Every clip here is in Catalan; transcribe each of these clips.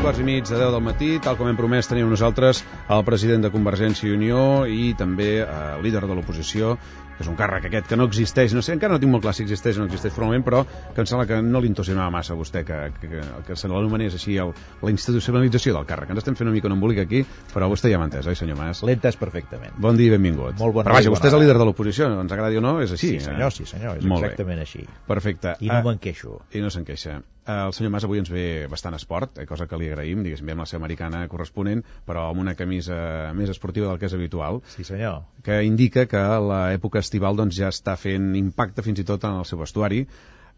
8:15 de 10 del matí, tal com hem promès, tenim nosaltres el president de Convergència i Unió i també el líder de l'oposició, que és un càrrec aquest que no existeix, no sé, encara no tinc molt clar si existeix o no existeix formalment, però que em sembla que no li entusiasmava massa a vostè que se l'anomenés així la institucionalització del càrrec. Ens estem fent una mica un embolic aquí, però vostè ja m'ha entès, oi, senyor Mas? L'he entès perfectament. Bon dia i benvingut. Molt bon però vaja, vostè és el líder de l'oposició, ens agradi o no, és així. Sí, senyor, és exactament així. Perfecte. I no me'n queixo. I no se'n queixa. El senyor Mas avui ens ve bastant esport, cosa que li agraïm, diguéssim, ve amb la seva americana corresponent, però amb una camisa més esportiva del que és habitual. Sí, senyor. Que indica que l'època estival doncs, ja està fent impacte fins i tot en el seu vestuari.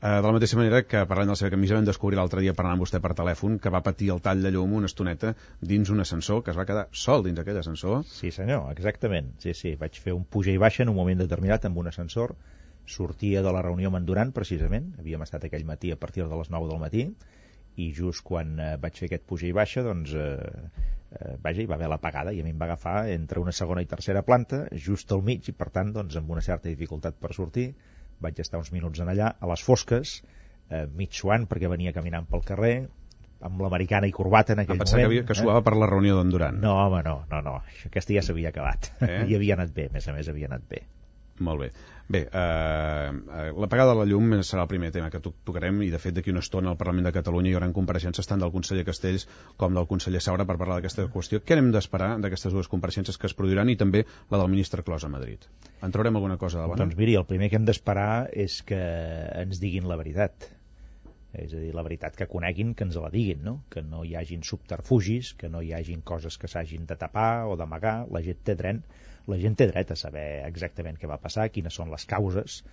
De la mateixa manera que, parlant de la seva camisa, vam descobrir l'altre dia parlant amb vostè per telèfon que va patir el tall de llum una estoneta dins un ascensor, que es va quedar sol dins aquell ascensor. Sí, senyor, exactament. Sí, vaig fer un puja i baixa en un moment determinat amb un ascensor. Sortia de la reunió amb en Duran, precisament. Havíem estat aquell matí a partir de les 9 del matí i just quan vaig fer aquest puja i baixa, doncs, hi va haver l'apagada i a mi em va agafar entre una segona i tercera planta, just al mig, i per tant, doncs, amb una certa dificultat per sortir. Vaig estar uns minuts en allà, a les fosques, mig suant, perquè venia caminant pel carrer, amb l'americana i corbata en aquell moment. Que suava per la reunió d'en Duran. No, home, no. Aquesta ja s'havia acabat. I havia anat bé, a més havia anat bé. Molt bé. Bé, l'apagada de la llum serà el primer tema que tocarem i, de fet, d'aquí una estona al Parlament de Catalunya hi haurà compareixences tant del conseller Castells com del conseller Saura per parlar d'aquesta qüestió. Què hem d'esperar d'aquestes dues compareixences que es produiran i també la del ministre Clos a Madrid? En traurem alguna cosa de bona? Doncs miri, el primer que hem d'esperar és que ens diguin la veritat. És a dir, la veritat que coneguin, que ens la diguin, no? Que no hi hagin subterfugis, que no hi hagin coses que s'hagin de tapar o d'amagar. La gent té dret a saber exactament què va passar, quines són les causes.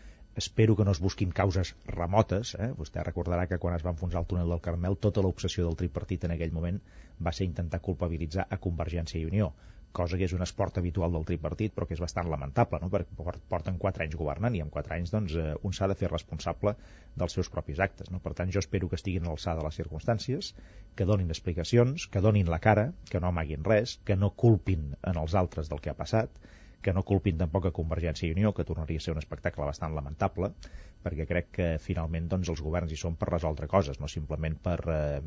Espero que no es busquin causes remotes. Vostè recordarà que quan es va enfonsar el túnel del Carmel, tota l'obsessió del tripartit en aquell moment va ser intentar culpabilitzar a Convergència i Unió, cosa que és un esport habitual del tripartit, però que és bastant lamentable, no? Perquè porten 4 anys governant i en 4 anys doncs, un s'ha de fer responsable dels seus propis actes, no? Per tant, jo espero que estiguin a l'alçada de les circumstàncies, que donin explicacions, que donin la cara, que no amaguin res, que no culpin en els altres del que ha passat, que no culpin tampoc a Convergència i Unió, que tornaria a ser un espectacle bastant lamentable, perquè crec que finalment doncs, els governs hi són per resoldre coses, no simplement per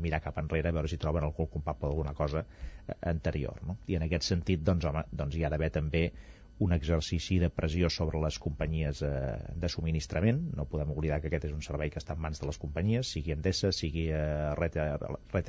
mirar cap enrere a veure si troben algú culpable d'alguna cosa anterior, no? I en aquest sentit doncs, hi ha d'haver també un exercici de pressió sobre les companyies de subministrament. No podem oblidar que aquest és un servei que està en mans de les companyies, sigui Endesa, sigui Red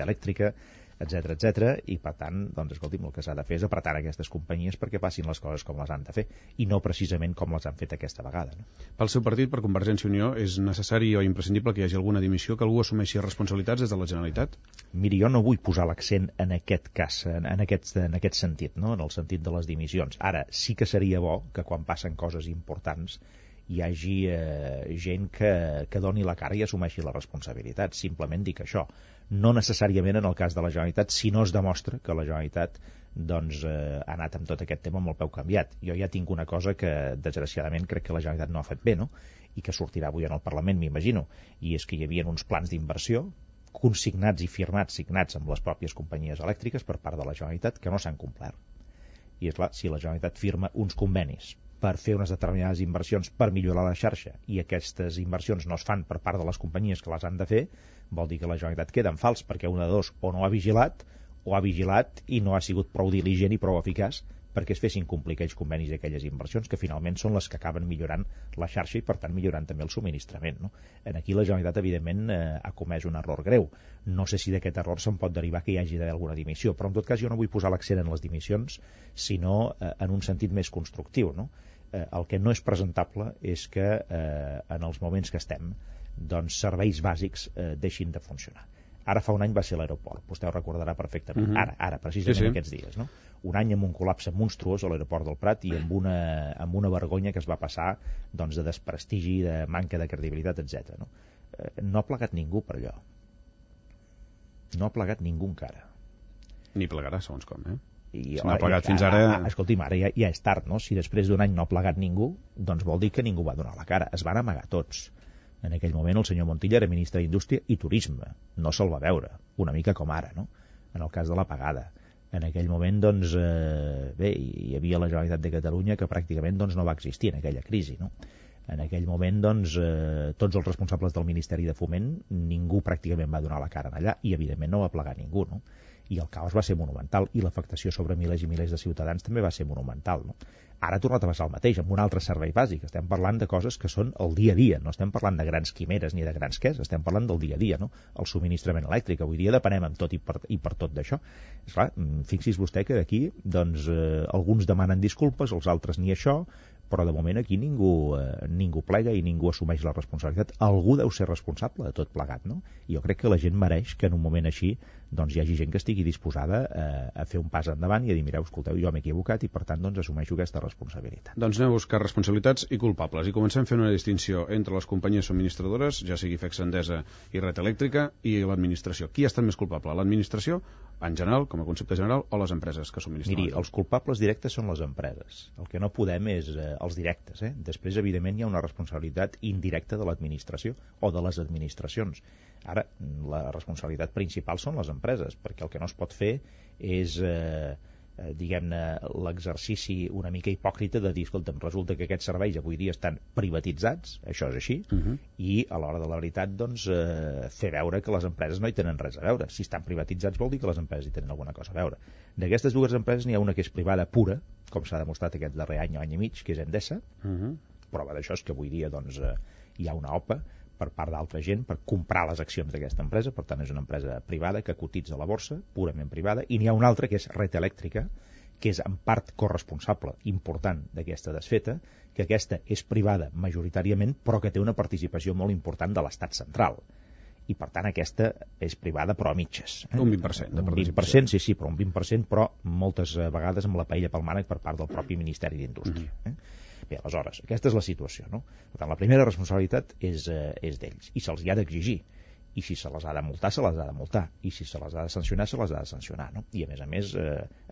Elèctrica, etc. I per tant, doncs, escolti'm, el que s'ha de fer és apretar aquestes companyies perquè passin les coses com les han de fer i no precisament com les han fet aquesta vegada, no? Pel seu partit, per Convergència i Unió, és necessari o imprescindible que hi hagi alguna dimissió, que algú assumeixi responsabilitats des de la Generalitat? Miri, jo no vull posar l'accent en aquest cas, en aquest sentit, no? En el sentit de les dimissions. Ara, sí que seria bo que quan passen coses importants hi hagi gent que doni la cara i assumeixi la responsabilitat. Simplement dic això. No necessàriament en el cas de la Generalitat, si no es demostra que la Generalitat doncs, ha anat amb tot aquest tema amb el peu canviat. Jo ja tinc una cosa que, desgraciadament, crec que la Generalitat no ha fet bé, no? I que sortirà avui en el Parlament, m'imagino. I és que hi havia uns plans d'inversió consignats i firmats, signats amb les pròpies companyies elèctriques per part de la Generalitat que no s'han complert. I és clar, si la Generalitat firma uns convenis per fer unes determinades inversions per millorar la xarxa i aquestes inversions no es fan per part de les companyies que les han de fer, vol dir que la Generalitat queda en fals, perquè una de dos, o no ha vigilat i no ha sigut prou diligent i prou eficaç perquè es fessin complir aquells convenis i aquelles inversions que finalment són les que acaben millorant la xarxa i per tant millorant també el subministrament, no? Aquí la Generalitat evidentment ha comès un error greu. No sé si d'aquest error se'n pot derivar que hi hagi d'haver alguna dimissió, però en tot cas jo no vull posar l'accent en les dimissions sinó en un sentit més constructiu, no? El que no és presentable és que en els moments que estem doncs serveis bàsics deixin de funcionar. Ara fa un any va ser l'aeroport, vostè ho recordarà perfectament. Ara, precisament aquests dies, no? Un any amb un col·lapse monstruós a l'aeroport del Prat i amb una vergonya que es va passar doncs, de desprestigi, de manca de credibilitat, etc. No ha plegat ningú per allò. No ha plegat ningú encara. Ni plegarà, segons com, I no ha plegat fins ara... Escolti'm, ara ja és tard, no? Si després d'un any no ha plegat ningú, doncs vol dir que ningú va donar la cara. Es van amagar tots. En aquell moment el senyor Montilla era ministre d'Indústria i Turisme. No se'l va veure, una mica com ara, no? En el cas de l'apagada. En aquell moment, doncs, hi havia la Generalitat de Catalunya que pràcticament doncs, no va existir en aquella crisi, no? En aquell moment, doncs, tots els responsables del Ministeri de Foment, ningú pràcticament va donar la cara allà i, evidentment, no va plegar ningú, no? I el caos va ser monumental i l'afectació sobre milers i milers de ciutadans també va ser monumental, no? Ara ha tornat a passar el mateix, amb un altre servei bàsic. Estem parlant de coses que són el dia a dia, no estem parlant de grans quimeres ni de grans què, estem parlant del dia a dia, no? El subministrament elèctric, avui dia depenem amb tot i per tot d'això. Esclar, fixi's vostè que d'aquí, doncs, alguns demanen disculpes, els altres ni això, però de moment aquí ningú plega i ningú assumeix la responsabilitat. Algú deu ser responsable de tot plegat, no? I jo crec que la gent mereix que en un moment així doncs hi hagi gent que estigui disposada a fer un pas endavant i a dir, mireu, escolteu, jo m'he equivocat i per tant doncs assumeixo aquesta responsabilitat. Doncs anem a buscar responsabilitats i culpables i comencem fent una distinció entre les companyies subministradores, ja sigui FEX Endesa i Red Elèctrica, i l'administració. Qui ha estat més culpable? L'administració, en general, com a concepte general, o les empreses que subministren? Miri, els culpables directes són les empreses. El que no podem és els directes. Després, evidentment, hi ha una responsabilitat indirecta de l'administració o de les administracions. Ara, la responsabilitat principal són les empreses, perquè el que no es pot fer és, diguem-ne, l'exercici una mica hipòcrita de dir, escolta'm, resulta que aquests serveis avui dia estan privatitzats, això és així, i a l'hora de la veritat, doncs, fer veure que les empreses no hi tenen res a veure. Si estan privatitzats vol dir que les empreses hi tenen alguna cosa a veure. D'aquestes dues empreses n'hi ha una que és privada pura, com s'ha demostrat aquest darrer any i mig, que és Endesa. Prova d'això és que avui dia doncs, hi ha una OPA per part d'altra gent per comprar les accions d'aquesta empresa, per tant és una empresa privada que cotitza a la borsa, purament privada, i n'hi ha una altra que és Red Elèctrica, que és en part corresponsable important d'aquesta desfeta, que aquesta és privada majoritàriament, però que té una participació molt important de l'Estat central. I per tant aquesta és privada però a mitges. Un 20% de participació. Un 20%, sí, però un 20%, però moltes vegades amb la paella pel mànec per part del propi Ministeri d'Indústria. Bé, aleshores, aquesta és la situació, no? Per tant, la primera responsabilitat és d'ells, i se'ls hi ha d'exigir. I si se les ha de multar, se les ha de multar. I si se les ha de sancionar, se les ha de sancionar, no? I, a més,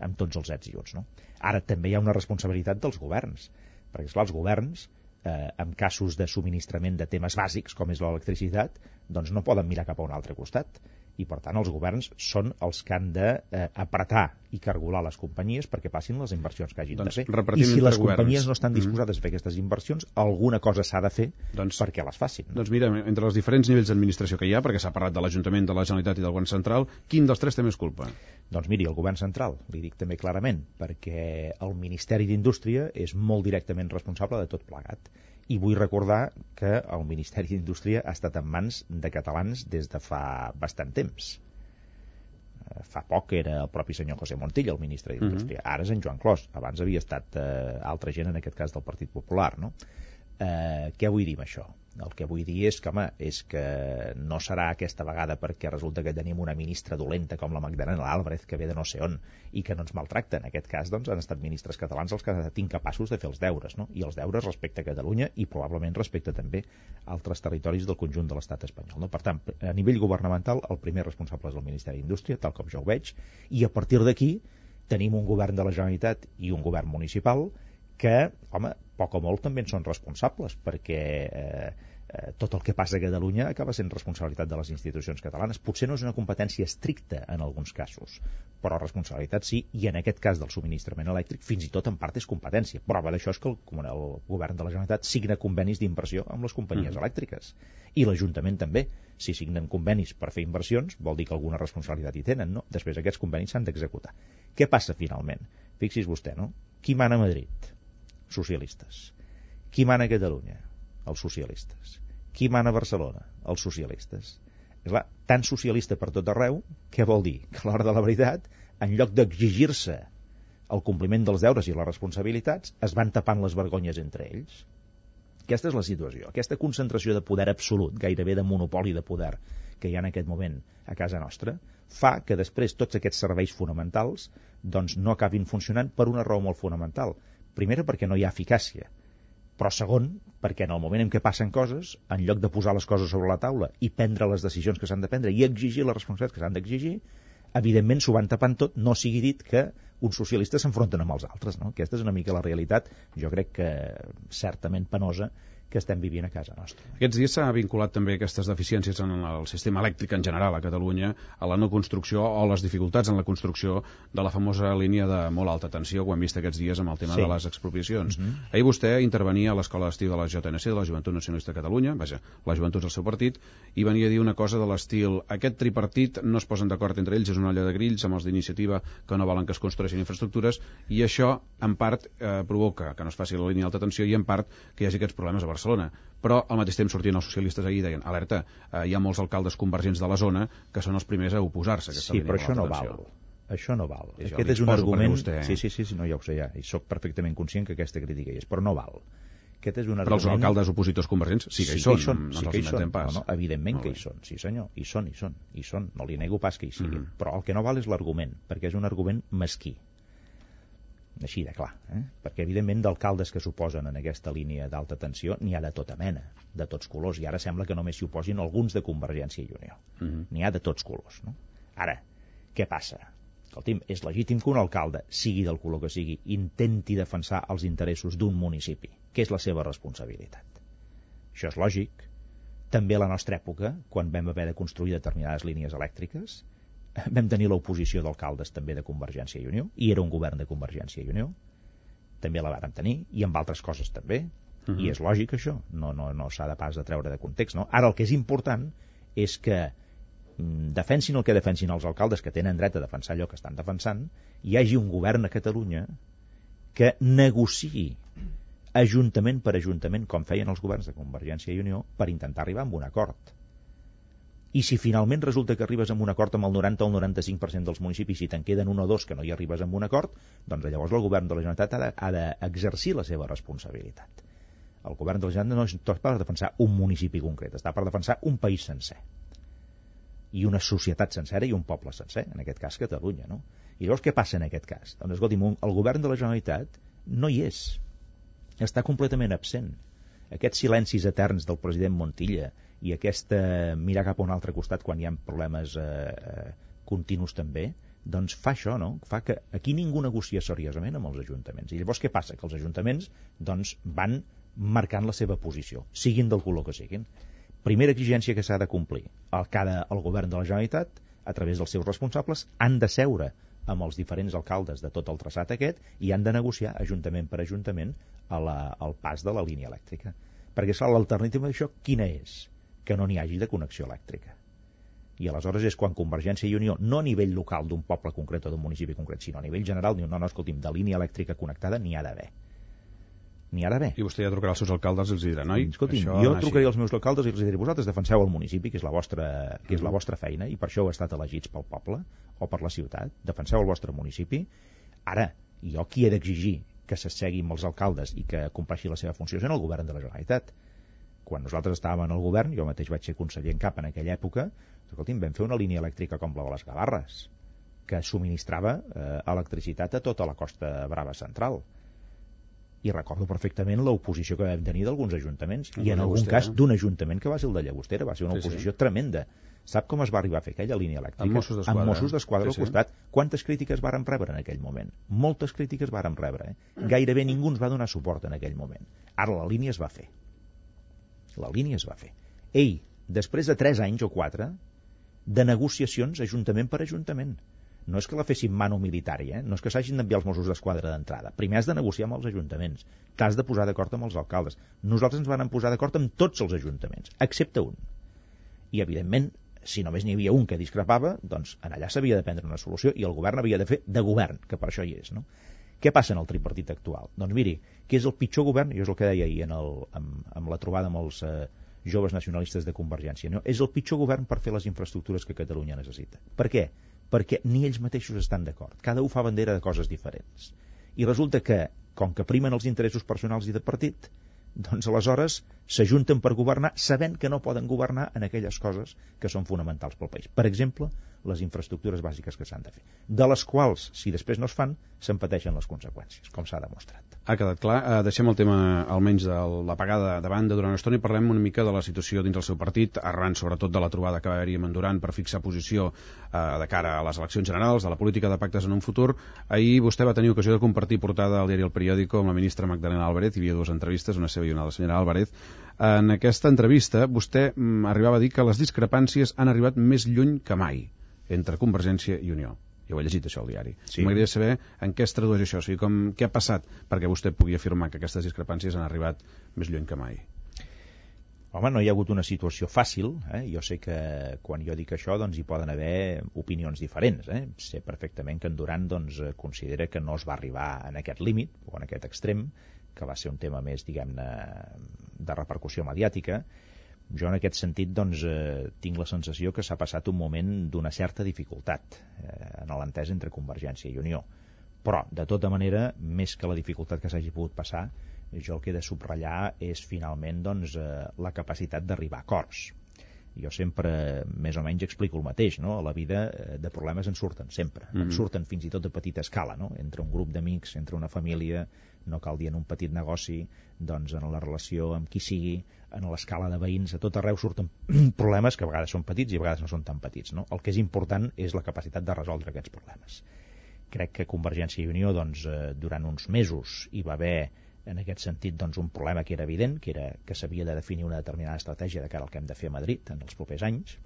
amb tots els ets i uts, no? Ara, també hi ha una responsabilitat dels governs, perquè, esclar, els governs, en casos de subministrament de temes bàsics, com és l'electricitat, doncs no poden mirar cap a un altre costat. I, per tant, els governs són els que han d'apretar i cargolar les companyies perquè passin les inversions que hagin de fer. I si les companyies no estan disposades a fer aquestes inversions, alguna cosa s'ha de fer perquè les facin. Doncs mira, entre els diferents nivells d'administració que hi ha, perquè s'ha parlat de l'Ajuntament, de la Generalitat i del Govern Central, quin dels tres té més culpa? Doncs miri, el Govern Central, li dic també clarament, perquè el Ministeri d'Indústria és molt directament responsable de tot plegat. I vull recordar que el Ministeri d'Indústria ha estat en mans de catalans des de fa bastant temps. Fa poc era el propi senyor José Montilla, el ministre d'Indústria. Ara és en Joan Clos. Abans havia estat altra gent, en aquest cas del Partit Popular, no? Què vull dir amb això? El que vull dir és que, home, és que no serà aquesta vegada perquè resulta que tenim una ministra dolenta com la Magdalena Álvarez, que ve de no sé on, i que no ens maltracta. En aquest cas, doncs, han estat ministres catalans els que han estat incapaços de fer els deures, no? I els deures respecte a Catalunya i probablement respecte també a altres territoris del conjunt de l'estat espanyol, no? Per tant, a nivell governamental, el primer responsable és el Ministeri d'Indústria, tal com jo ho veig, i a partir d'aquí tenim un govern de la Generalitat i un govern municipal que, home, poc o molt també en són responsables, perquè tot el que passa a Catalunya acaba sent responsabilitat de les institucions catalanes. Potser no és una competència estricta en alguns casos, però responsabilitat sí, i en aquest cas del subministrament elèctric fins i tot en part és competència. Prova d'això és que el govern de la Generalitat signa convenis d'inversió amb les companyies elèctriques. I l'Ajuntament també. Si signen convenis per fer inversions, vol dir que alguna responsabilitat hi tenen, no? Després aquests convenis s'han d'executar. Què passa finalment? Fixis vostè, no? Qui mana a Madrid? Socialistes. Qui mana a Catalunya? Els socialistes. Qui mana a Barcelona? Els socialistes. És clar, tan socialista per tot arreu, què vol dir? Que a l'hora de la veritat, en lloc d'exigir-se el compliment dels deures i les responsabilitats, es van tapant les vergonyes entre ells. Aquesta és la situació. Aquesta concentració de poder absolut, gairebé de monopoli de poder, que hi ha en aquest moment a casa nostra, fa que després tots aquests serveis fonamentals doncs no acabin funcionant per una raó molt fonamental. Primera, perquè no hi ha eficàcia. Però segon, perquè en el moment en què passen coses, en lloc de posar les coses sobre la taula i prendre les decisions que s'han de prendre i exigir les responsabilitats que s'han d'exigir, evidentment s'ho van tapant tot, no sigui dit que uns socialistes s'enfronten amb els altres, no? Aquesta és una mica la realitat, jo crec que certament penosa, que estem vivint a casa nostra. Aquests dies s'ha vinculat també aquestes deficiències en el sistema elèctric en general a Catalunya a la no construcció o les dificultats en la construcció de la famosa línia de molt alta tensió que ho hem vist aquests dies amb el tema de les expropiacions. Ahir vostè intervenia a l'escola d'estiu de la JNC, de la Joventut Nacionalista de Catalunya, vaja, la joventut del seu partit, i venia a dir una cosa de l'estil: aquest tripartit no es posen d'acord entre ells, és una olla de grills amb els d'iniciativa que no volen que es construeixin infraestructures, i això en part provoca que no es faci la línia d'alta tensió i en part que hi hagi aquests problemes a Barcelona. Però al mateix temps sortien els socialistes ahir i deien: alerta, hi ha molts alcaldes convergents de la zona que són els primers a oposar-se a aquesta línia d'alta tensió. Sí, però això no val. Aquest és un argument... Sí, no, ja ho sé, ja, i soc perfectament conscient que aquesta crítica hi és, però no val. Aquest és un argument... Però els alcaldes opositors convergents sí que hi són, no ens els inventem pas. No, evidentment que hi són, sí senyor, hi són, no li nego pas que hi siguin, però el que no val és l'argument, perquè és un argument mesquí. Així de clar, perquè evidentment d'alcaldes que s'oposen en aquesta línia d'alta tensió n'hi ha de tota mena, de tots colors, i ara sembla que només s'hi oposin alguns de Convergència i Unió. N'hi ha de tots colors, no? Ara, què passa? Escolti'm, és legítim que un alcalde, sigui del color que sigui, intenti defensar els interessos d'un municipi, que és la seva responsabilitat. Això és lògic. També a la nostra època, quan vam haver de construir determinades línies elèctriques, vam tenir l'oposició d'alcaldes també de Convergència i Unió, i era un govern de Convergència i Unió, també la vàrem tenir, i amb altres coses també, i és lògic això, no s'ha de pas de treure de context, no? Ara el que és important és que defensin el que defensin els alcaldes, que tenen dret a defensar allò que estan defensant, hi hagi un govern a Catalunya que negociï ajuntament per ajuntament, com feien els governs de Convergència i Unió, per intentar arribar a un acord. I si finalment resulta que arribes a un acord amb el 90 o el 95% dels municipis, si te'n queden un o dos que no hi arribes a un acord, doncs llavors el govern de la Generalitat ha d'exercir la seva responsabilitat. El govern de la Generalitat no està per defensar un municipi concret, està per defensar un país sencer. I una societat sencera i un poble sencer, en aquest cas Catalunya, no? I llavors què passa en aquest cas? Doncs escolti'm, el govern de la Generalitat no hi és, està completament absent. Aquests silencis eterns del president Montilla i aquest mirar cap a un altre costat quan hi ha problemes continus també, doncs fa això, no? Fa que aquí ningú negocia seriosament amb els ajuntaments. I llavors què passa? Que els ajuntaments doncs, van marcant la seva posició, siguin del color que siguin. Primera exigència que s'ha de complir. El govern de la Generalitat, a través dels seus responsables, han de seure amb els diferents alcaldes de tot el traçat aquest i han de negociar ajuntament per ajuntament al pas de la línia elèctrica. Perquè, clar, l'alternativa d'això quina és? Que no n'hi hagi de connexió elèctrica. I aleshores és quan Convergència i Unió, no a nivell local d'un poble concret o d'un municipi concret, sinó a nivell general, diu, no, escolti'm, de línia elèctrica connectada n'hi ha d'haver. N'hi ha d'haver. I vostè ja trucarà als seus alcaldes i els dirà, noi, escolti'm, jo trucaré als meus alcaldes i els diré, vosaltres defenseu el municipi, que és la vostra feina, i per això heu estat elegits pel poble o per la ciutat, defenseu el vostre municipi. Ara, jo qui he d'exigir que s'assegui amb els alcaldes i que compleixi la seva funció és en el govern de la Generalitat. Quan nosaltres estàvem en el govern, jo mateix vaig ser conseller en cap en aquella època, escolti'm, vam fer una línia elèctrica com la de les Gavarres, que subministrava electricitat a tota la Costa Brava central. I recordo perfectament l'oposició que vam tenir d'alguns ajuntaments, i en algun cas d'un ajuntament que va ser el de Llagostera, va ser una oposició tremenda. Sap com es va arribar a fer aquella línia elèctrica? Amb Mossos d'Esquadra al costat. Quantes crítiques vàrem rebre en aquell moment? Moltes crítiques vàrem rebre. Gairebé ningú ens va donar suport en aquell moment. Ara la línia es va fer. La línia es va fer. Ei, després de 3 anys o 4 de negociacions ajuntament per ajuntament. No és que la fessin mano militari, no és que s'hagin d'enviar els Mossos d'Esquadra d'entrada. Primer has de negociar amb els ajuntaments, t'has de posar d'acord amb els alcaldes. Nosaltres ens vam posar d'acord amb tots els ajuntaments, excepte un. I, evidentment, si només n'hi havia un que discrepava, doncs en allà s'havia de prendre una solució i el govern havia de fer de govern, que per això hi és, no? Què passa en el tripartit actual? Doncs miri, que és el pitjor govern, jo és el que deia ahir amb la trobada amb els joves nacionalistes de Convergència, no? És el pitjor govern per fer les infraestructures que Catalunya necessita. Per què? Perquè ni ells mateixos estan d'acord. Cada un fa bandera de coses diferents. I resulta que, com que primen els interessos personals i de partit, doncs aleshores s'ajunten per governar sabent que no poden governar en aquelles coses que són fonamentals pel país. Per exemple, les infraestructures bàsiques que s'han de fer, de les quals, si després no es fan, se'n pateixen les conseqüències, com s'ha demostrat. Ha quedat clar. Deixem el tema, almenys, de l'apagada de banda durant una estona i parlem una mica de la situació dins del seu partit, arran sobretot de la trobada que va haver-hi amb en Duran per fixar posició de cara a les eleccions generals, de la política de pactes en un futur. Ahir vostè va tenir ocasió de compartir portada al diari El Periódico amb la ministra Magdalena Álvarez, hi havia 2 entrevistes, una seva i una de la senyora Álvarez, En aquesta entrevista vostè arribava a dir que les discrepàncies han arribat més lluny que mai entre Convergència i Unió. Ja ho he llegit, això, al diari. Sí. M'agradaria saber en què es tradueix això, o sigui, què ha passat perquè vostè pugui afirmar que aquestes discrepàncies han arribat més lluny que mai. Home, no hi ha hagut una situació fàcil. Jo sé que quan jo dic això hi poden haver opinions diferents. Sé perfectament que en Duran considera que no es va arribar en aquest límit o en aquest extrem, que va ser un tema més, diguem-ne, de repercussió mediàtica. Jo en aquest sentit tinc la sensació que s'ha passat un moment d'una certa dificultat en l'entesa entre Convergència i Unió. Però, de tota manera, més que la dificultat que s'hagi pogut passar, jo el que he de subratllar és finalment la capacitat d'arribar a acords. Jo sempre més o menys explico el mateix, no? A la vida de problemes en surten sempre, en surten fins i tot a petita escala, no? Entre un grup d'amics, entre una família, no cal dir en un petit negoci, en la relació amb qui sigui, en l'escala de veïns, a tot arreu surten problemes que a vegades són petits i a vegades no són tan petits, no? El que és important és la capacitat de resoldre aquests problemes. Crec que Convergència i Unió durant uns mesos hi va haver en aquest sentit un problema que era evident, que era que s'havia de definir una determinada estratègia de cara al que hem de fer a Madrid en els propers anys.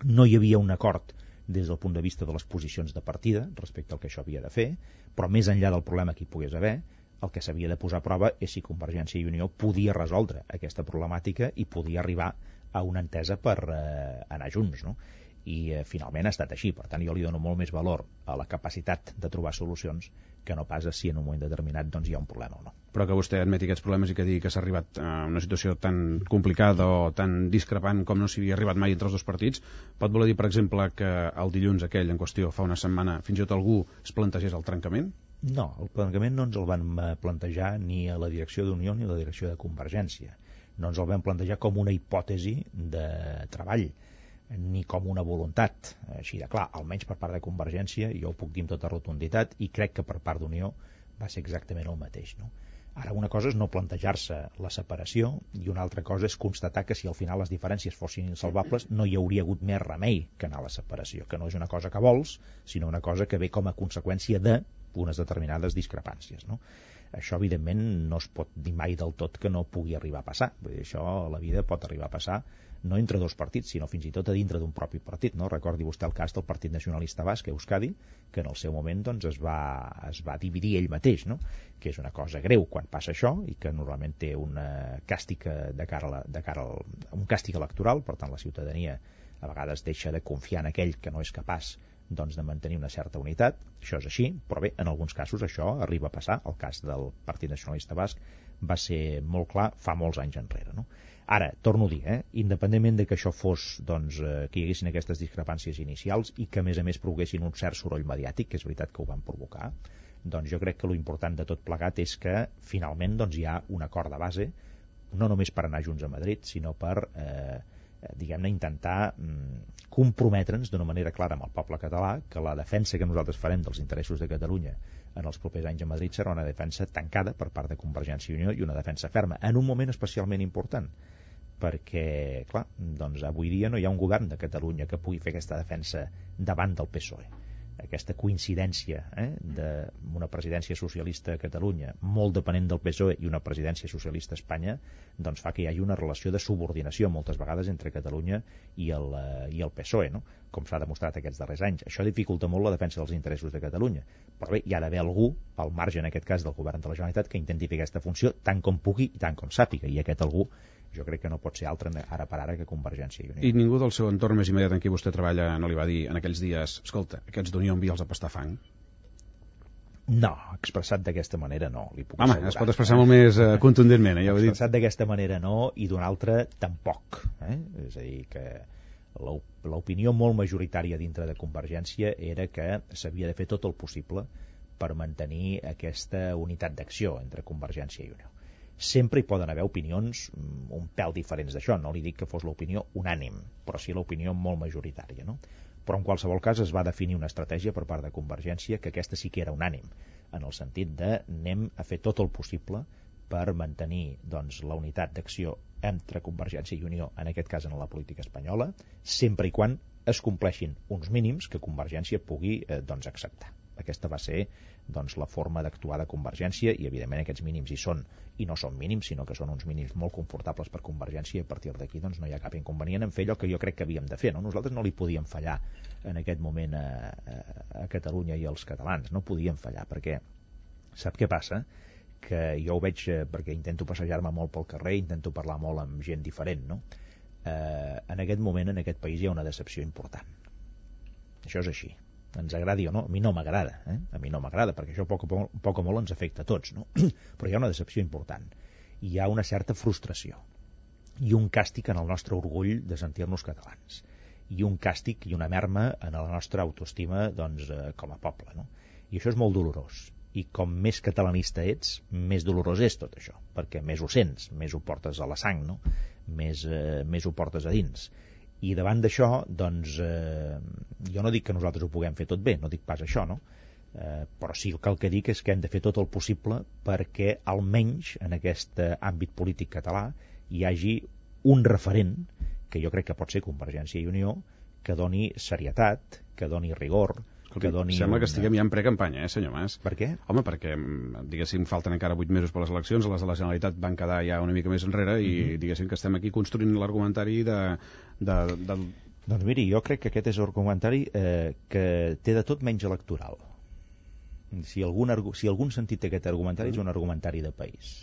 No hi havia un acord des del punt de vista de les posicions de partida respecte al que això havia de fer, però més enllà del problema que hi pogués haver, el que s'havia de posar a prova és si Convergència i Unió podia resoldre aquesta problemàtica i podia arribar a una entesa per anar junts, no? I finalment ha estat així. Per tant, jo li dono molt més valor a la capacitat de trobar solucions que no pas a si en un moment determinat hi ha un problema o no. Però que vostè admeti aquests problemes i que digui que s'ha arribat a una situació tan complicada o tan discrepant com no s'hi havia arribat mai entre els dos partits, pot voler dir, per exemple, que el dilluns aquell en qüestió, fa una setmana, fins i tot algú es plantegés el trencament? No, el trencament no ens el van plantejar ni a la direcció d'Unió ni a la direcció de Convergència. No ens el van plantejar com una hipòtesi de treball, ni com una voluntat. Així de clar, almenys per part de Convergència, jo ho puc dir amb tota rotunditat, i crec que per part d'Unió va ser exactament el mateix, no? Ara, una cosa és no plantejar-se la separació i una altra cosa és constatar que si al final les diferències fossin insalvables no hi hauria hagut més remei que anar a la separació, que no és una cosa que vols, sinó una cosa que ve com a conseqüència d'unes determinades discrepàncies, no? Això, evidentment, no es pot dir mai del tot que no pugui arribar a passar. Vull dir, això a la vida pot arribar a passar no entre dos partits, sinó fins i tot a dintre d'un propi partit, no? Recordi vostè el cas del Partit Nacionalista Basc, Euskadi, que en el seu moment es va dividir ell mateix, no? Que és una cosa greu quan passa això i que normalment té un càstig un càstig electoral. Per tant, la ciutadania a vegades deixa de confiar en aquell que no és capaç de mantenir una certa unitat. Això és així, però bé, en alguns casos això arriba a passar. El cas del Partit Nacionalista Basc va ser molt clar fa molts anys enrere, no? Ara, torno a dir, independentment de que això fos, que hi haguessin aquestes discrepàncies inicials i que a més provoquessin un cert soroll mediàtic, que és veritat que ho van provocar, jo crec que l'important de tot plegat és que finalment hi ha un acord de base, no només per anar junts a Madrid, sinó per diguem-ne, intentar comprometre'ns d'una manera clara amb el poble català que la defensa que nosaltres farem dels interessos de Catalunya en els propers anys a Madrid serà una defensa tancada per part de Convergència i Unió i una defensa ferma, en un moment especialment important, perquè, clar, avui dia no hi ha un govern de Catalunya que pugui fer aquesta defensa davant del PSOE. Aquesta coincidència d'una presidència socialista a Catalunya molt depenent del PSOE i una presidència socialista a Espanya fa que hi hagi una relació de subordinació moltes vegades entre Catalunya i el PSOE, no? Com s'ha demostrat aquests darrers anys. Això dificulta molt la defensa dels interessos de Catalunya, però bé, hi ha d'haver algú al marge en aquest cas del govern de la Generalitat que intenti fer aquesta funció tant com pugui i tant com sàpiga, i aquest algú jo crec que no pot ser altre ara per ara que Convergència i Unió. I ningú del seu entorn més immediat en qui vostè treballa no li va dir en aquells dies, escolta, aquests d'Unió envia'ls a pastar fang? No, expressat d'aquesta manera no, li puc assegurar. Es pot expressar molt més contundentment, ja ho he dit. Expressat d'aquesta manera no, i d'una altra tampoc. És a dir, que l'opinió molt majoritària dintre de Convergència era que s'havia de fer tot el possible per mantenir aquesta unitat d'acció entre Convergència i Unió. Sempre hi poden haver opinions un pèl diferents d'això, no li dic que fos l'opinió unànim, però sí l'opinió molt majoritària, no? Però en qualsevol cas es va definir una estratègia per part de Convergència que aquesta sí que era unànim, en el sentit de anem a fer tot el possible per mantenir la unitat d'acció entre Convergència i Unió, en aquest cas en la política espanyola, sempre i quan es compleixin uns mínims que Convergència pugui acceptar. Aquesta va ser doncs, la forma d'actuar de Convergència, i evidentment aquests mínims hi són, i no són mínims, sinó que són uns mínims molt confortables per Convergència, i a partir d'aquí doncs, no hi ha cap inconvenient en fer allò que jo crec que havíem de fer. No? Nosaltres no li podíem fallar en aquest moment a Catalunya i als catalans, no podíem fallar, perquè sap què passa? Que jo ho veig perquè intento passejar-me molt pel carrer, intento parlar molt amb gent diferent, no? En aquest moment, en aquest país, hi ha una decepció important. Això és així. Ens agradi o no, a mi no m'agrada, a mi no m'agrada, perquè això poc o molt ens afecta a tots, no? Però hi ha una decepció important. Hi ha una certa frustració i un càstig en el nostre orgull de sentir-nos catalans, i un càstig i una merma en la nostra autoestima doncs, com a poble, no? I això és molt dolorós. I com més catalanista ets, més dolorós és tot això, perquè més ho sents, més ho portes a la sang, no? Més ho portes a dins. I davant d'això, doncs, jo no dic que nosaltres ho puguem fer tot bé, no dic pas això, no? Però sí que el que dic és que hem de fer tot el possible perquè almenys en aquest àmbit polític català hi hagi un referent, que jo crec que pot ser Convergència i Unió, que doni serietat, que doni rigor, que doni... Sembla que estiguem ja en precampanya, senyor Mas. Per què? Home, perquè, diguéssim, falten encara 8 mesos per les eleccions, les de la Generalitat van quedar ja una mica més enrere i diguéssim que estem aquí construint l'argumentari Doncs miri, jo crec que aquest és l'argumentari que té de tot menys electoral. Si algun sentit té aquest argumentari, és un argumentari de país.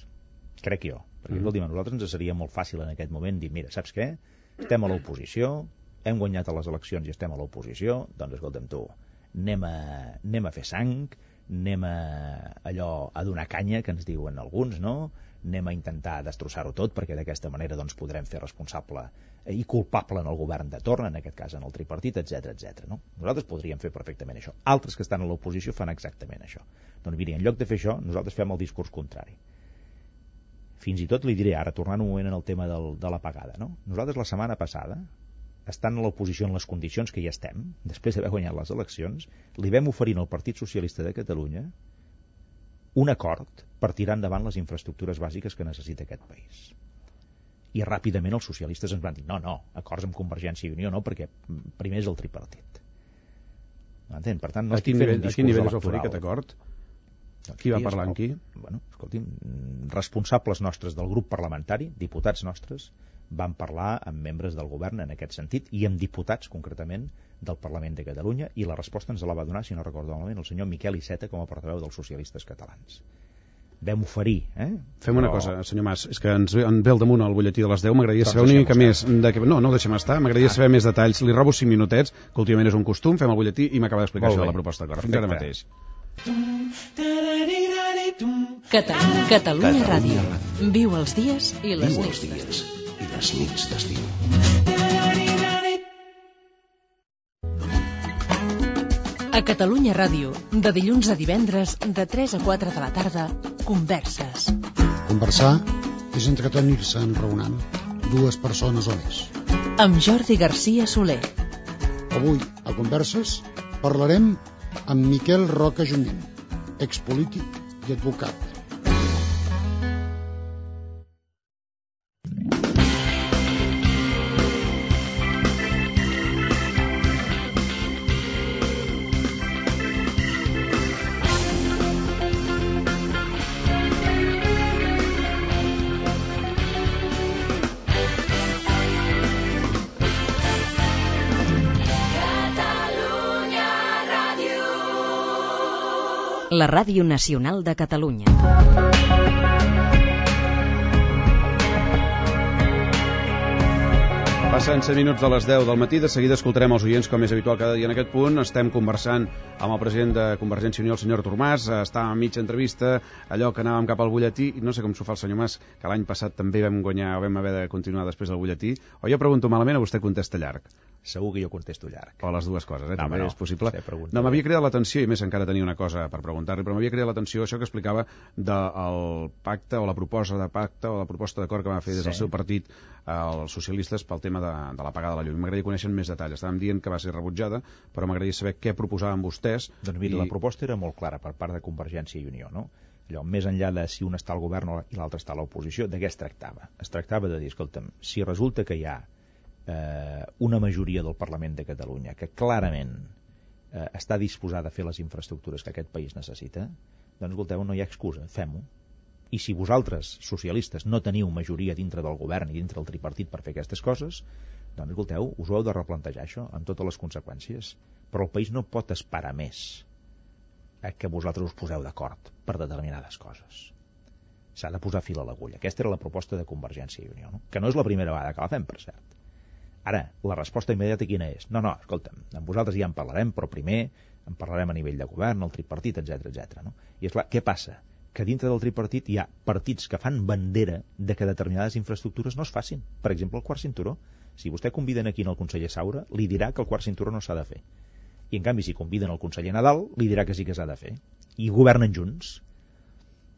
Crec jo. Perquè, escolti'm, a nosaltres ens seria molt fàcil en aquest moment dir, mira, saps què? Estem a l'oposició, hem guanyat a les eleccions i estem a l'oposició, doncs escolta'm tu, anem a fer sang, anem a donar canya, que ens diuen alguns, no? Anem a intentar destrossar-ho tot, perquè d'aquesta manera doncs, podrem fer responsable i culpable en el govern de torn, en aquest cas en el tripartit, etc. No? Nosaltres podríem fer perfectament això. Altres que estan a l'oposició fan exactament això. Doncs miri, en lloc de fer això, nosaltres fem el discurs contrari. Fins i tot li diré, ara tornant un moment en el tema de la pagada, no? Nosaltres la setmana passada, estant a l'oposició en les condicions que ja estem, després d'haver guanyat les eleccions, li vam oferir al Partit Socialista de Catalunya un acord per tirar endavant les infraestructures bàsiques que necessita aquest país. I ràpidament els socialistes ens van dir no, acords amb Convergència i Unió no, perquè primer és el tripartit. M'entén? Per tant, no estic fent un discurs electoral. A quin nivell es va oferir aquest acord? Qui va parlar amb qui? Bueno, escolti'm, responsables nostres del grup parlamentari, diputats nostres, van parlar amb membres del govern en aquest sentit i amb diputats, concretament, del Parlament de Catalunya, i la resposta ens la va donar, si no recordo malament, el senyor Miquel Iceta com a portaveu dels socialistes catalans. Vam oferir, Fem una cosa, senyor Mas, és que ens ve al damunt el butlletí de les 10, m'agradaria saber una mica més... No deixem estar, m'agradaria saber més detalls. Li robo 5 minutets, que últimament és un costum, fem el butlletí i m'acaba d'explicar això de la proposta d'acord. Fins ara mateix. Catalunya Ràdio. Viu els dies i les nits d'estiu. A Catalunya Ràdio, de dilluns a divendres, de 3 a 4 de la tarda, Converses. Conversar és entretenir-se enraonant, 2 persones o més. Amb Jordi Garcia Soler. Avui, a Converses, parlarem amb Miquel Roca Junyent, expolític i advocat. La Ràdio Nacional de Catalunya. Passen 7 minuts de les 10 del matí, de seguida escoltarem els oients com és habitual cada dia en aquest punt. Estem conversant amb el president de Convergència i Unió, el senyor Artur Mas. Estàvem a mitja entrevista, allò que anàvem cap al butlletí, i no sé com s'ho fa el senyor Mas, que l'any passat també vam guanyar o vam haver de continuar després del butlletí. O jo pregunto malament o vostè contesta llarg? Segur que jo contesto llarg. O les dues coses, també és possible. No, m'havia cridat l'atenció, i més encara tenia una cosa per preguntar-li, però m'havia cridat l'atenció això que explicava del pacte o la proposta de pacte o la proposta d'acord que va fer des del seu partit els socialistes pel tema de la pagada de la llum. M'agradaria conèixer més detalls. Estàvem dient que va ser rebutjada, però m'agradaria saber què proposaven vostès. Doncs mira, la proposta era molt clara per part de Convergència i Unió, no? Allò, més enllà de si un està al govern i l'altre està a l'oposició, de què es tractava? Es tractava de dir, escolta'm, si resulta que hi ha una majoria del Parlament de Catalunya que clarament està disposada a fer les infraestructures que aquest país necessita, doncs escolteu, no hi ha excusa, fem-ho. I si vosaltres, socialistes, no teniu majoria dintre del govern i dintre del tripartit per fer aquestes coses, doncs escolteu, us ho heu de replantejar això, amb totes les conseqüències. Però el país no pot esperar més a que vosaltres us poseu d'acord per determinades coses. S'ha de posar fil a l'agulla. Aquesta era la proposta de Convergència i Unió, no? Que no és la primera vegada que la fem, per cert. Ara, la resposta immediata quina és? No, escolta'm, amb vosaltres ja en parlarem, però primer en parlarem a nivell de govern, el tripartit, etc. No? I és clar, què passa? Que dintre del tripartit hi ha partits que fan bandera de que determinades infraestructures no es facin. Per exemple, el quart cinturó. Si vostè conviden aquí al conseller Saura, li dirà que el quart cinturó no s'ha de fer. I en canvi, si conviden el conseller Nadal, li dirà que sí que s'ha de fer. I governen junts.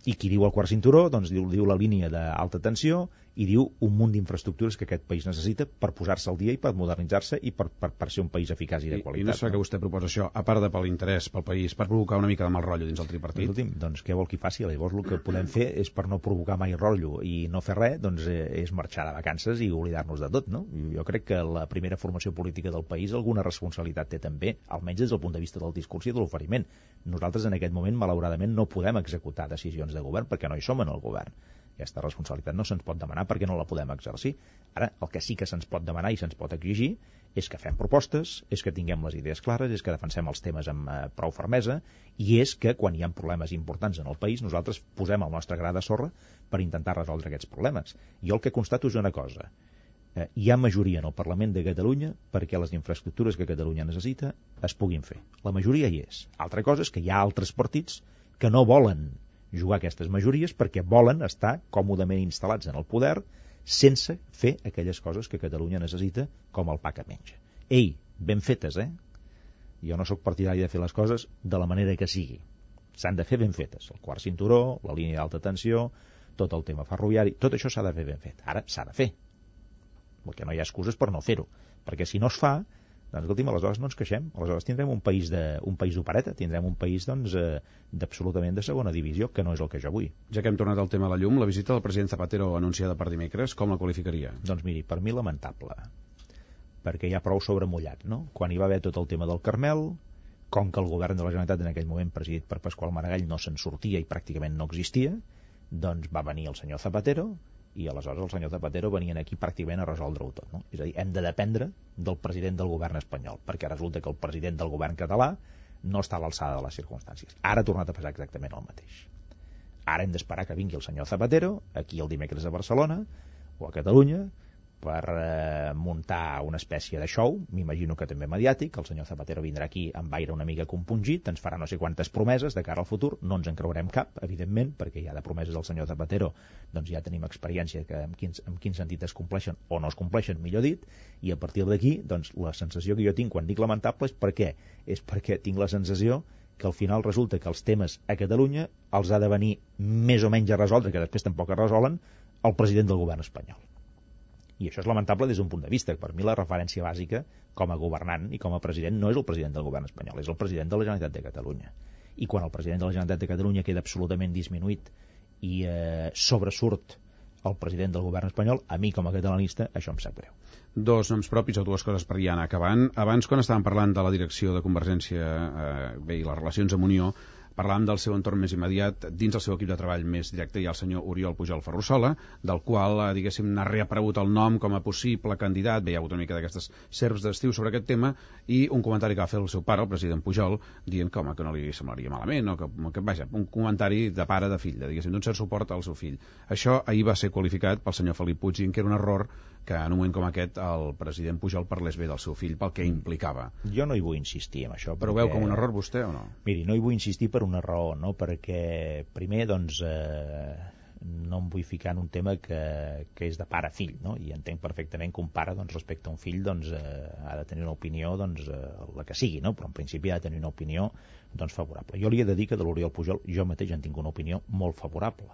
I qui diu el quart cinturó, doncs diu la línia d'alta tensió i diu un munt d'infraestructures que aquest país necessita per posar-se al dia i per modernitzar-se i per ser un país eficaç i de qualitat. I no és que vostè proposa això, a part de per l'interès pel país, per provocar una mica de mal rotllo dins el tripartit? Doncs què vol que faci? Llavors el que podem fer és, per no provocar mai rotllo i no fer res, doncs és marxar de vacances i oblidar-nos de tot, no? Jo crec que la primera formació política del país alguna responsabilitat té també, almenys des del punt de vista del discurs i de l'oferiment. Nosaltres en aquest moment, malauradament, no podem executar decisions de govern perquè no hi som en el govern. Aquesta responsabilitat no se'ns pot demanar perquè no la podem exercir. Ara, el que sí que se'ns pot demanar i se'ns pot exigir és que fem propostes, és que tinguem les idees clares, és que defensem els temes amb prou fermesa i és que quan hi ha problemes importants en el país nosaltres posem el nostre gra de sorra per intentar resoldre aquests problemes. Jo el que constato és una cosa. Hi ha majoria en el Parlament de Catalunya perquè les infraestructures que Catalunya necessita es puguin fer. La majoria hi és. Altra cosa és que hi ha altres partits que no volen jugar aquestes majories perquè volen estar còmodament instal·lats en el poder sense fer aquelles coses que Catalunya necessita com el pa que menja. Ei, ben fetes, Jo no sóc partidari de fer les coses de la manera que sigui. S'han de fer ben fetes. El quart cinturó, la línia d'alta tensió, tot el tema ferroviari, tot això s'ha de fer ben fet. Ara s'ha de fer. Perquè no hi ha excuses per no fer-ho. Perquè si no es fa, doncs, escolti'm, aleshores no ens queixem. Aleshores tindrem un país d'opereta, tindrem un país d'absolutament de segona divisió, que no és el que jo vull. Ja que hem tornat al tema de la llum, la visita del president Zapatero anunciada per dimecres, com la qualificaria? Doncs miri, per mi lamentable, perquè hi ha prou sobremullat, no? Quan hi va haver tot el tema del Carmel, com que el govern de la Generalitat en aquell moment presidit per Pasqual Maragall no se'n sortia i pràcticament no existia, doncs va venir el senyor Zapatero i aleshores el senyor Zapatero venien aquí pràcticament a resoldre-ho tot, no? És a dir, hem de dependre del president del govern espanyol, perquè resulta que el president del govern català no està a l'alçada de les circumstàncies. Ara ha tornat a passar exactament el mateix. Ara hem d'esperar que vingui el senyor Zapatero, aquí el dimecres a Barcelona, o a Catalunya, per muntar una espècie de show, m'imagino que també mediàtic. El senyor Zapatero vindrà aquí amb aire una mica compungit, ens farà no sé quantes promeses de cara al futur, no ens en creurem cap, evidentment, perquè ja de promeses del senyor Zapatero doncs ja tenim experiència que en quin sentit es compleixen o no es compleixen, millor dit, i a partir d'aquí, doncs la sensació que jo tinc quan dic lamentable és per què? És perquè tinc la sensació que al final resulta que els temes a Catalunya els ha de venir més o menys a resoldre, que després tampoc es resolen, el president del govern espanyol. I això és lamentable des d'un punt de vista. Per mi la referència bàsica com a governant i com a president no és el president del govern espanyol, és el president de la Generalitat de Catalunya. I quan el president de la Generalitat de Catalunya queda absolutament disminuït i sobresurt el president del govern espanyol, a mi com a catalanista això em sap greu. Dos noms propis o dues coses per ja anar acabant. Abans, quan estàvem parlant de la direcció de Convergència i les relacions amb Unió, parlàvem del seu entorn més immediat. Dins el seu equip de treball més directe hi ha el senyor Oriol Pujol Ferrusola, del qual, diguéssim, n'ha reaparegut el nom com a possible candidat. Hi ha hagut una mica d'aquestes serps d'estiu sobre aquest tema, i un comentari que va fer el seu pare, el president Pujol, dient que, home, que no li semblaria malament, o que vaja, un comentari de pare de fill, diguéssim, d'un cert suport al seu fill. Això ahir va ser qualificat pel senyor Felip Puig, que era un error que en un moment com aquest el president Pujol parlés bé del seu fill pel que implicava. Jo no hi vull insistir en això. Però ho veu com un error vostè o no? Miri, no hi vull insistir per una raó, no? Perquè primer, doncs, no em vull ficar en un tema que és de pare a fill, no? I entenc perfectament que un pare, doncs, respecte a un fill, doncs, ha de tenir una opinió, doncs, la que sigui, no? Però en principi ha de tenir una opinió, doncs, favorable. Jo li he de dir que de l'Oriol Pujol jo mateix en tinc una opinió molt favorable.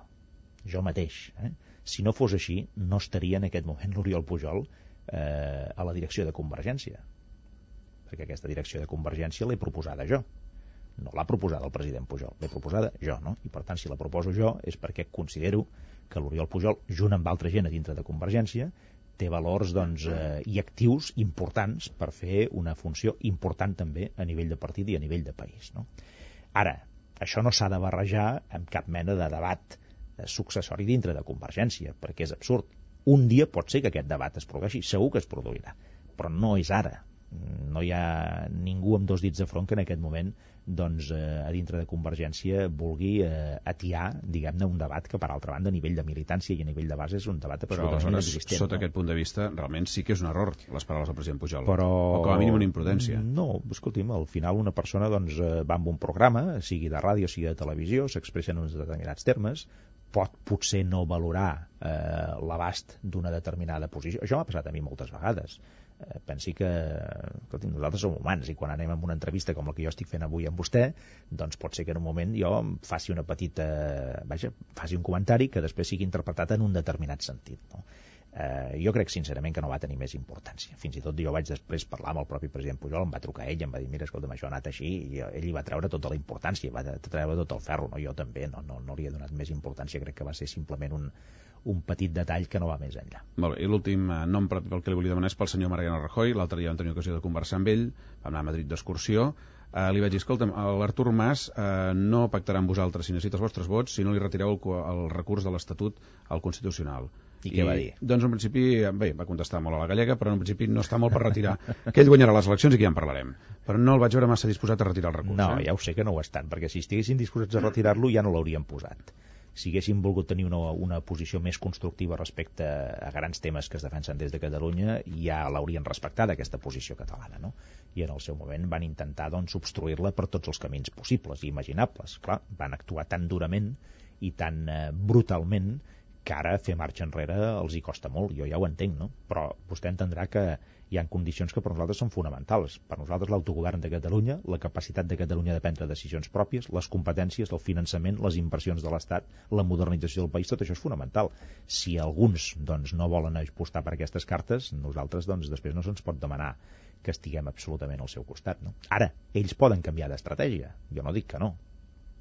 Jo mateix, Si no fos així, no estaria en aquest moment l'Oriol Pujol a la direcció de Convergència. Perquè aquesta direcció de Convergència l'he proposada jo. No l'ha proposada el president Pujol, l'he proposada jo, no? I per tant, si la proposo jo és perquè considero que l'Oriol Pujol, junt amb altra gent a dintre de Convergència, té valors i actius importants per fer una funció important també a nivell de partit i a nivell de país, no? Ara, això no s'ha de barrejar amb cap mena de debat successori dintre de Convergència, perquè és absurd. Un dia pot ser que aquest debat es produeixi, segur que es produirà, però no és ara. No hi ha ningú amb dos dits de front que en aquest moment a dintre de Convergència vulgui atiar, diguem-ne, un debat que, per altra banda, a nivell de militància i a nivell de base és un debat absolutament existent. Sota aquest punt de vista, realment sí que és un error les paraules del president Pujol, o com a mínim una imprudència. No, escolti'm, al final una persona va amb un programa, sigui de ràdio, sigui de televisió, s'expressa en uns determinats termes, pot potser no valorar l'abast d'una determinada posició. Això m'ha passat a mi moltes vegades. Pensi que nosaltres som humans i quan anem a una entrevista com la que jo estic fent avui amb vostè, doncs pot ser que en un moment jo faci una petita faci un comentari que després sigui interpretat en un determinat sentit, no? Jo crec sincerament que no va tenir més importància. Fins i tot jo vaig després parlar amb el propi president Pujol, em va trucar ell, em va dir, mira, escolta'm, això ha anat així, i ell hi va treure tota la importància, va treure tot el ferro, no? Jo també no li he donat més importància, crec que va ser simplement un petit detall que no va més enllà. Molt bé, i l'últim nom pel que li volia demanar és pel senyor Mariano Rajoy. L'altre dia vam tenir ocasió de conversar amb ell, vam anar a Madrid d'excursió. Li vaig dir, escolta'm, l'Artur Mas no pactarà amb vosaltres si necessita els vostres vots si no li retireu el recurs de l'Estatut al Constitucional. I què va dir? Doncs en principi, bé, va contestar molt a la gallega, però en principi no està molt per retirar, que ell guanyarà les eleccions i que ja en parlarem. Però no el vaig veure massa disposat a retirar el recurs. No, ja ho sé que no ho estan, perquè si estiguessin disposats a retirar-lo ja no l'haurien posat. Si haguessin volgut tenir una posició més constructiva respecte a grans temes que es defensen des de Catalunya, ja l'haurien respectat, aquesta posició catalana, no? I en el seu moment van intentar, doncs, obstruir-la per tots els camins possibles i imaginables. Clar, van actuar tan durament i tan brutalment que ara fer marxa enrere els hi costa molt, jo ja ho entenc, no? Però vostè entendrà que hi ha condicions que per nosaltres són fonamentals. Per nosaltres l'autogovern de Catalunya, la capacitat de Catalunya de prendre decisions pròpies, les competències, el finançament, les inversions de l'Estat, la modernització del país, tot això és fonamental. Si alguns doncs, no volen apostar per aquestes cartes, nosaltres doncs, després no se'ns pot demanar que estiguem absolutament al seu costat, no? Ara, ells poden canviar d'estratègia, jo no dic que no.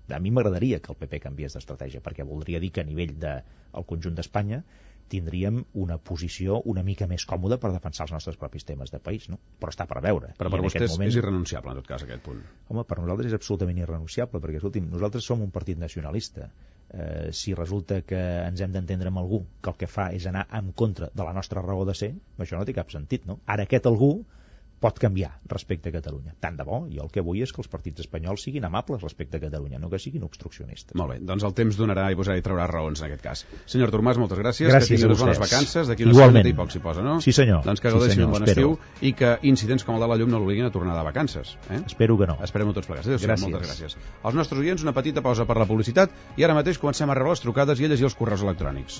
A mi m'agradaria que el PP canviés d'estratègia, perquè voldria dir que a nivell del conjunt d'Espanya tindríem una posició una mica més còmoda per defensar els nostres propis temes de país, no? Però està per veure. Però per vostès és irrenunciable, en tot cas, aquest punt. Home, per nosaltres és absolutament irrenunciable, perquè, escolti'm, nosaltres som un partit nacionalista. Si resulta que ens hem d'entendre amb algú que el que fa és anar en contra de la nostra raó de ser, això no té cap sentit, no? Ara aquest algú pot canviar respecte a Catalunya. Tant de bo, jo el que vull és que els partits espanyols siguin amables respecte a Catalunya, no que siguin obstruccionistes. Molt bé, doncs el temps donarà i posarà i traurà raons en aquest cas. Senyor Artur Mas, moltes gràcies. Gràcies que tingui unes bones vacances, d'aquí una setmana i poc s'hi posa, no? Sí, senyor. Doncs que gaudeixi un bon estiu i que incidents com el de la llum no l'obliguin a tornar de vacances. Espero que no. Esperem-ho tots plegats. Gràcies. Moltes gràcies. Als nostres oients, una petita pausa per la publicitat i ara mateix comencem a rebre les trucades i a llegir els correus electrònics.